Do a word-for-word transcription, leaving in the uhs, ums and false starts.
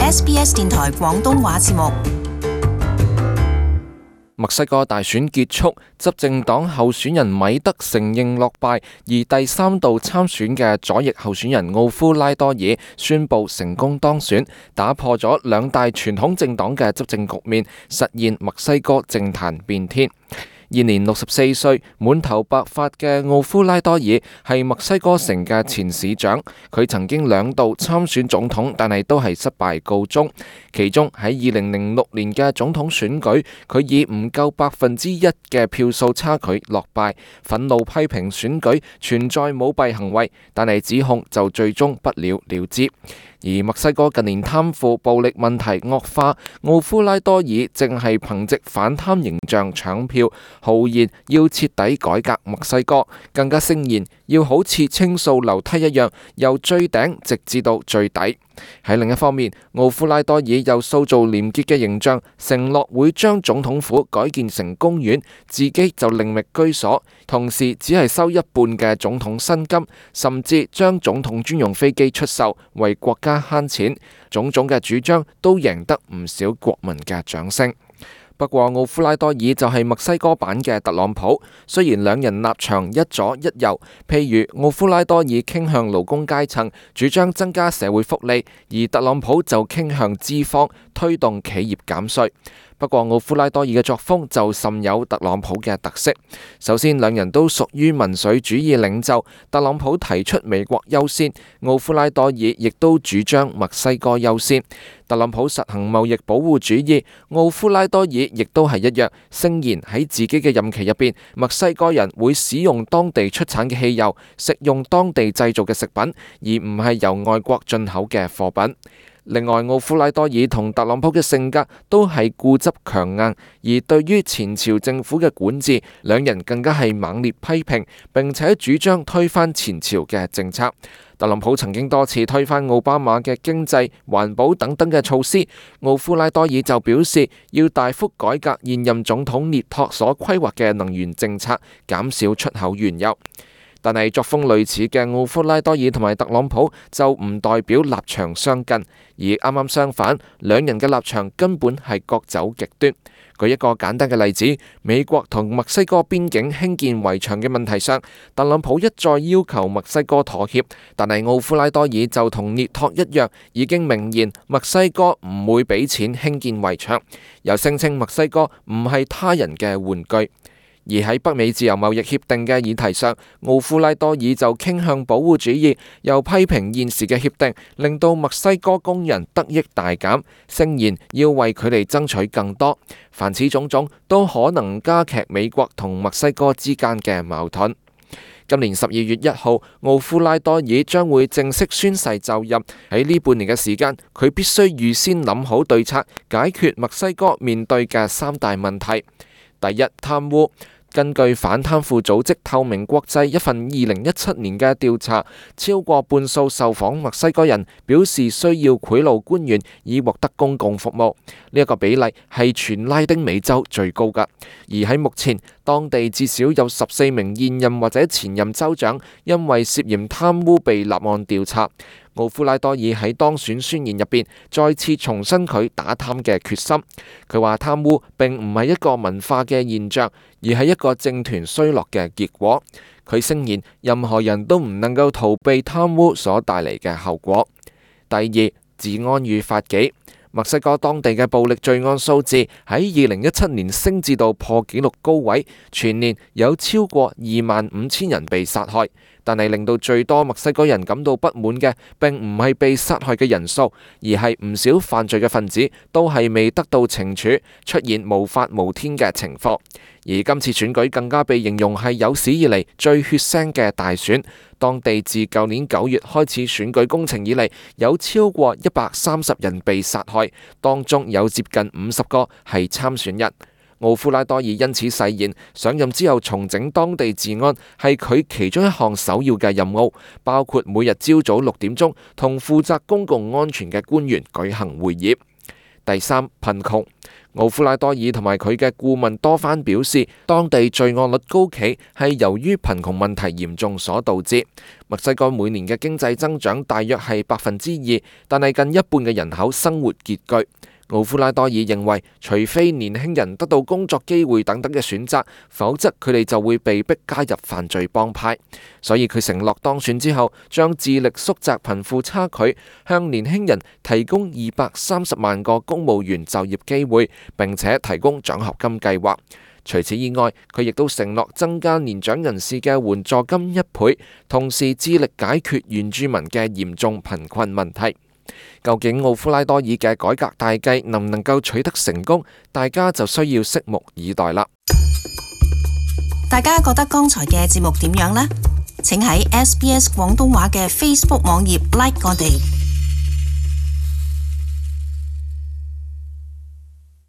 S B S 電台廣東話節目。墨西哥大選結束，執政黨候選人米德承認落敗，而第三度參選嘅左翼候選人奧夫拉多爾宣布成功當選，打破咗兩大傳統政黨嘅執政局面，實現墨西哥政壇變天。現年六十四歲，滿頭白髮嘅奧夫拉多爾係墨西哥城嘅前市長，佢曾經兩度參選總統，但係都係失敗告終。其中喺二零零六年嘅總統選舉，佢以唔夠百分之一嘅票數差距落敗，憤怒批評選舉存在舞弊行為，但係指控就最終不了了之。而墨西哥近年貪腐暴力問題惡化，奧夫拉多爾正係憑藉反貪形象搶票，豪言要徹底改革墨西哥，更加聲言要好似清掃樓梯一樣，由最頂直至到最底。喺另一方面，奧夫拉多爾又塑造廉潔嘅形象，承諾會將總統府改建成公園，自己就另覓居所，同時只係收一半嘅總統薪金，甚至將總統專用飛機出售，為國家慳錢。種種嘅主張都贏得唔少國民嘅掌聲。不過奧夫拉多爾就係墨西哥版嘅特朗普，雖然兩人立場一左一右，譬如奧夫拉多爾傾向勞工階層，主張增加社會福利，而特朗普就傾向資方，推動企業減稅。不過奧夫拉多爾嘅作風就甚有特朗普嘅特色。首先，兩人都屬於民粹主義領袖，特朗普提出美國優先，奧夫拉多爾亦都主張墨西哥優先。特朗普實行貿易保護主義，奧夫拉多爾亦都係一樣，聲言喺自己嘅任期入邊，墨西哥人會使用當地出產嘅汽油，食用當地製造嘅食品，而唔係由外國進口嘅貨品。另外，奧夫拉多爾同特朗普嘅性格都係固執強硬，而對於前朝政府嘅管治，兩人更加係猛烈批評，並且主張推翻前朝嘅政策。特朗普曾經多次推翻奧巴馬嘅經濟、環保等等嘅措施，奧夫拉多爾就表示要大幅改革現任總統涅托所規劃嘅能源政策，減少出口原油。但係作風類似嘅奧夫拉多爾同埋特朗普就唔代表立場相近，而啱啱相反，兩人嘅立場根本係各走極端。舉一個簡單嘅例子，美國同墨西哥邊境興建圍牆嘅問題上，特朗普一再要求墨西哥妥協，但係奧夫拉多爾就同涅托一樣，已經明言墨西哥唔會俾錢興建圍牆，又聲稱墨西哥唔係他人嘅玩具。而喺北美自由貿易協定嘅議題上，奧夫拉多爾就傾向保護主義，又批評現時嘅協定令到墨西哥工人得益大減，聲言要為佢哋爭取更多。凡此種種都可能加劇美國同墨西哥之間嘅矛盾。今年十二月一號，奧夫拉多爾將會正式宣誓就任。喺呢半年嘅時間，佢必須預先諗好對策，解決墨西哥面對嘅三大問題。第一，貪污。根據反貪腐組織透明國際一份二零一七年嘅調查，超過半數受訪墨西哥人表示需要賄賂官員以獲得公共服務，呢一個比例係全拉丁美洲最高㗎。而喺目前，當地至少有十四名現任或者前任州長因為涉嫌貪污被立案調查。奧夫拉多爾喺當選宣言入邊再次重申佢打貪嘅決心。佢話貪污並唔係一個文化嘅現象，而係一個政團衰落嘅結果。佢聲言任何人都唔能夠逃避貪污所帶嚟嘅後果。第二，治安與法紀。墨西哥當地嘅暴力罪案數字喺二零一七年升至到破紀錄高位，全年有超過二萬五千人被殺害。但係令到最多墨西哥人感到不滿嘅，並唔係被殺害嘅人數，而係唔少犯罪嘅分子都係未得到懲處，出現無法無天嘅情況。而今次選舉更加被形容係有史以嚟最血腥嘅大選。當地自舊年九月開始選舉工程以嚟，有超過一百三十人被殺害，當中有接近五十個係參選人。奧夫拉多爾因此誓言，上任之後重整當地治安係佢其中一項首要嘅任務，包括每日朝早六點鐘同負責公共安全嘅官員舉行會議。第三，貧窮。奧夫拉多爾同埋佢嘅顧問多番表示，當地罪案率高企係由於貧窮問題嚴重所導致。墨西哥每年嘅經濟增長大約係百分之二，但係近一半嘅人口生活拮據。奧夫拉多爾認為，除非年輕人得到工作機會等等嘅選擇，否則佢哋就會被逼加入犯罪幫派。所以佢承諾當選之後，將致力縮窄貧富差距，向年輕人提供二百三十萬個公務員就業機會，並且提供獎學金計劃。除此以外，佢亦都承諾增加年長人士嘅援助金一倍，同時致力解決原住民嘅嚴重貧困問題。究竟奧夫拉多爾嘅改革大計能唔能夠取得成功，大家就需要拭目以待啦。大家覺得剛才嘅節目點樣呢？請喺 S B S 廣東話嘅 Facebook 網頁 like 我哋。